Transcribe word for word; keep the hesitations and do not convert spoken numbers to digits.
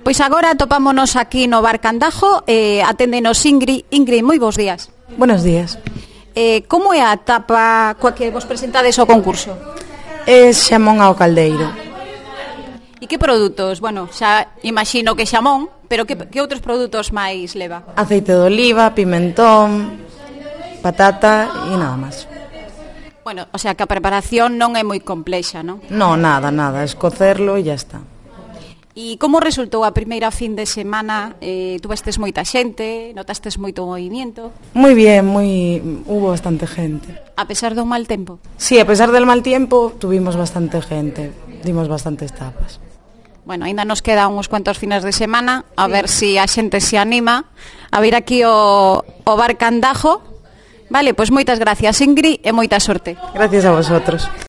Pois agora topámonos aquí no Bar Candajo, eh, aténdenos Ingrid. Ingrid, moi bons días. Buenos días. Eh, como é a tapa coa que vos presentades ao concurso? É xamón ao caldeiro. E que produtos? Bueno, xa imagino que xamón, pero que, que outros produtos máis leva? Aceite de oliva, pimentón, patata e nada máis. Bueno, o sea que a preparación non é moi complexa, non? No, nada, nada, es cocerlo e ya está. E como resultou a primeira fin de semana? Eh, tuvestes moita xente, notastes moito movimiento? Muy bien, muy hubo bastante gente. A pesar do mal tempo? Sí, a pesar del mal tiempo, tuvimos bastante gente, dimos bastantes tapas. Bueno, ainda nos quedan uns cuantos fines de semana, a sí. ver se si a xente se anima a vir aquí ao, ao Bar Candajo. Vale, pois moitas gracias, Ingrid, e moita sorte. Gracias a vosotros.